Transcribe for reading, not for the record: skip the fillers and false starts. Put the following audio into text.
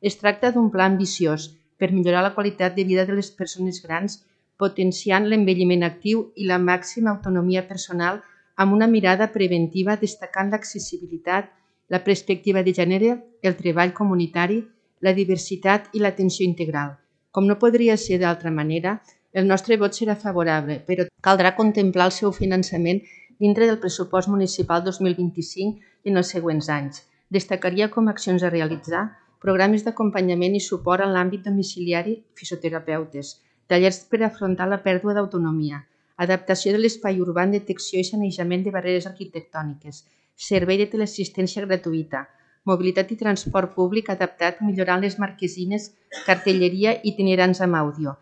Es tracta d'un pla ambiciós per millorar la qualitat de vida de les persones grans, potenciant l'envelliment actiu i la màxima autonomia personal amb una mirada preventiva destacant l'accessibilitat, la perspectiva de gènere, el treball comunitari, la diversitat i l'atenció integral. Com no podria ser d'altra manera, el nostre vot serà favorable, però caldrà contemplar el seu finançament dintre del pressupost municipal 2025 i en els següents anys. Destacaria com a accions a realitzar programes d'acompanyament i suport en l'àmbit domiciliari, fisioterapeutes, tallers per afrontar la pèrdua d'autonomia, adaptació de l'espai urbà en detecció i sanejament de barreres arquitectòniques, servei de teleassistència gratuïta, mobilitat i transport públic adaptat millorant les marquesines, cartelleria i itinerants amb àudio,